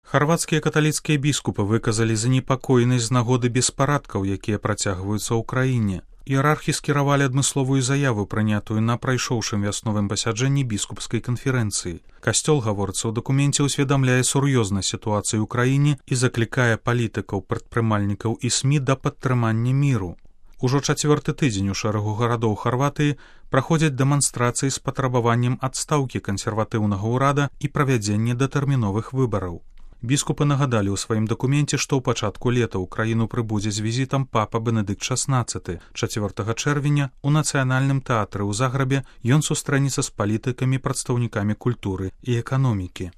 Харвацкія каталіцкія біскупы выказалі занепакоенасць з нагоды беспарадкаў, якія працягваюцца ў краіне. Іерархі скіравалі адмысловую заяву, прынятую на прайшоўшым вясновым пасяджэнні біскупскай канферэнцыі. Касцёл, гаворыцца ў дакуменце, усведамляе сур'ёзнасць сітуацыі ў краіне і заклікае палітыкаў, прадпрымальнікаў і СМІ да падтрымання міру. Ужо 4-й тыдзень у шэрагу гарадоў Харватыі праходзяць дэманстрацыі з патрабаваннем адстаўкі кансерватыўнага ўрада і правядзення датэрміновых выбараў. Біскупы нагадалі ў сваім дакуменце, што ў пачатку лета ў краіну прыбудзе з візітам папа Бенедыкт XVI. 4 чэрвеня у нацыянальным тэатры ў Заграбе ён сустрэнецца з палітыкамі, прадстаўнікамі культуры і эканомікі.